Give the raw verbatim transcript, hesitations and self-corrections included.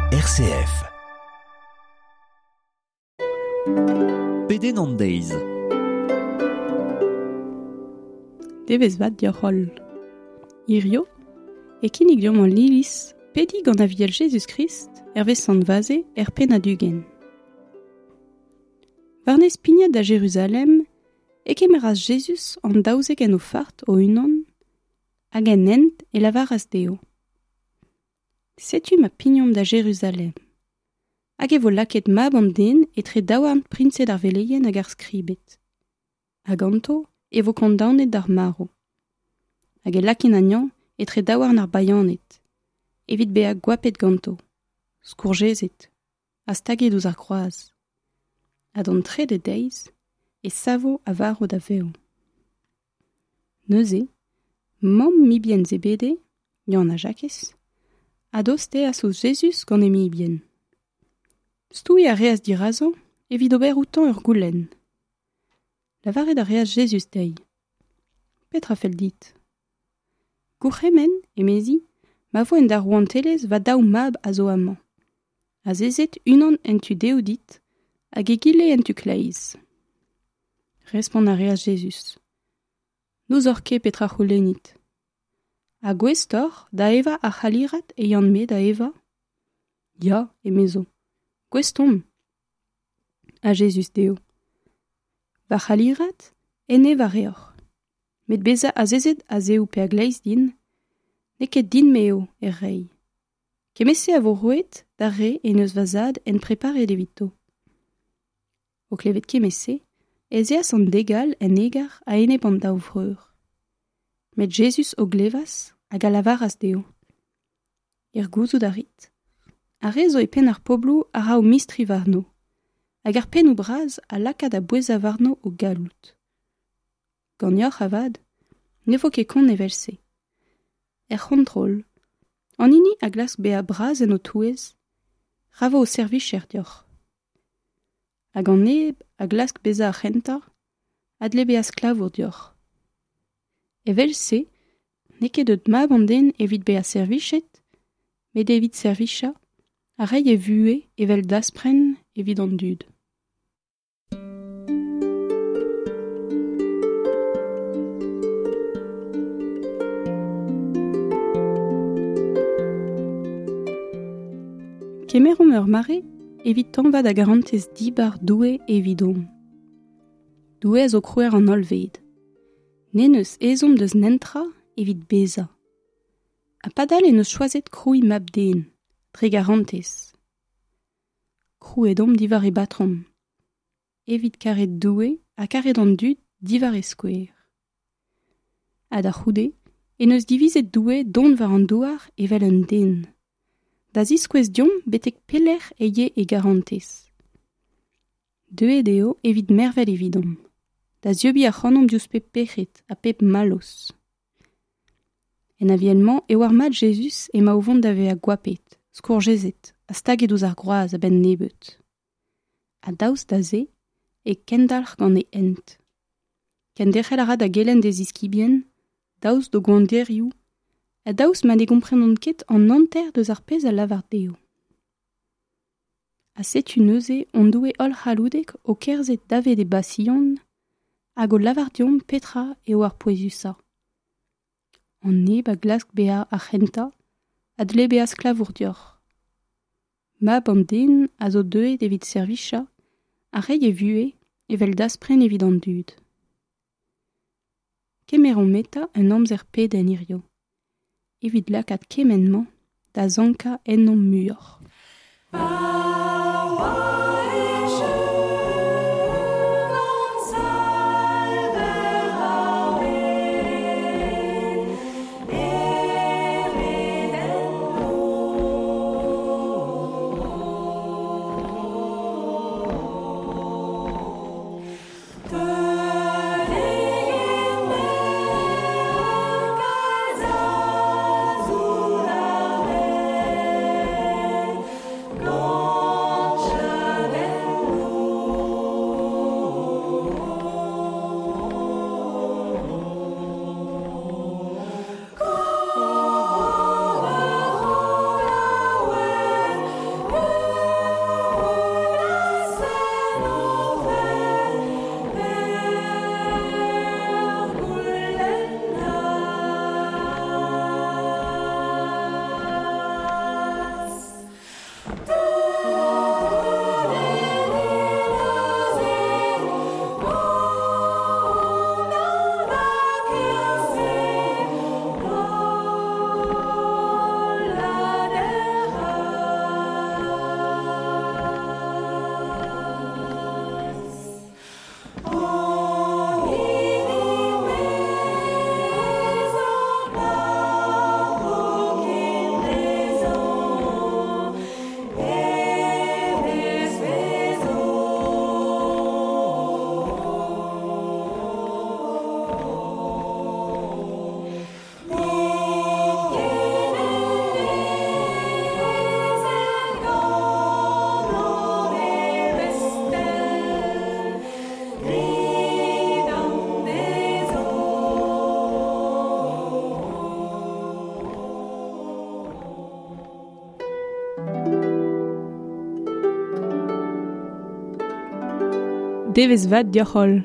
R C F. Pedenn an deiz. Devezh vat deoc'h holl. Hirio, e kinnig deomp an Iliz pediñ gant Aviel Jezuz-Krist hervez Sant Vaze er pennad ugent. War-nes pignat da Jeruzalem e kemeras Jezuz an daouzek en o fart o-unan hag en hent e lavaras dezho. Setu ma pignomp da Jeruzalem. Hag e vo lakaet mab an den etre daouarn priñsed ar veleien hag ar skribed. Ha ganto e vo kondaonet d'ar marv. Hag e lakint anezhañ etre daouarn ar bayaned, evit bezañ goapet ganto, skourjezet, ha staget ouzh ar groaz. Ha d'an trede deiz e savo a varv da vev. Neuze, mamm mibien Zebede, Yann ha Jakez, a dosteas ouzh Jezuz gant e mibien. Stouiñ a reas dirazañ evit ober outañ ur goulenn. Lavaret a reas Jezuz dezhi. Petra fell dit? Gourc'hemenn, emezi, ma vo en da rouantelezh va daou mab a zo amañ. Azezet unan en tu dehou dit hag egile en tu kleiz. Respont a reas Jezuz. N'ouzoc'h ket petra c'houlennit. Ha gouest oc'h da evañ ar c'halirad e yan-me da evañ? Ya, emezo. Gouest omp. Ha Jezuz dezho. Va c'halirad, en evañ a reoc'h. Met bezañ azezet a-zehou pe a-gleiz din, n'eo ket din-me eo er reiñ. Kement-se a vo roet d'ar re en deus va zad en preparet evito. O klevet kement-se, ez eas an dek all en egar a-enep an daou vreur. Met Jezuz o glevas hag a lavaras dezho. Er gouzout a rit. Ar re zo e penn ar pobloù a ra o mistri warno, hag ar pennoù bras a laka da bouezañ warno o galloud. Ganeoc'h avat, ne vo ket kont evel-se. Er c'hontrol, an hini a glask bezañ bras en ho touez, ra vo ho servijer deoc'h. Hag an neb a glask bezañ ar c'hentañ, a dle bezañ sklavour deoc'h. Evel-se, n'eo ket deut mab an den evit bezañ servijet, met evit servijañ ha reiñ e vuhez evel daspren evit an dud. Kemeromp ur mare evit tañva da garantez dibar Doue evidomp. Doue a zo krouer an hollved. N'en deus ezhomm deus netra evit bezañ. Ha padal en deus choazet krouiñ mab-den, dre garantez. Krouet omp diwar e batrom. Evit karet Doue ha karet an dud diwar e skouer. Ha da c'houde, en deus divizet Doue dont war an douar evel un den. Da ziskouez deomp betek pelec'h e ye e garantez. Deuet eo evit mervel evidomp. Da zieubiñ ac'hanomp diouzh pep pec'hed ha pep mallozh. En aviel-mañ e oar mat Jezuz emañ o vont da vezañ goapet, skourjezet ha staget ouzh ar groaz a-benn nebeut. Ha daoust da se e kendalc'h gant e hent. Kenderc'hel a ra da gelenn d'e ziskibien, daoust d'o gwanderioù, ha daoust ma ne gomprenont ket an hanter deus ar pezh a lavar dezho. Ha setu neuze hon Doue holl-c'halloudek o kerzhet davet e basion hag o lavar deomp petra eo ar pouezusañ. An neb a glask bezañ ar c'hentañ a dle bezañ sklavour deoc'h. Mab an den a zo deuet evit servijañ ha reiñ e vuhez evel daspren evit an dud. Kemeromp eta un amzer pedenn hirio, evit lakaat kement-mañ da sankañ ennomp muioc'h. Go. Devezh vat deoc'h-holl.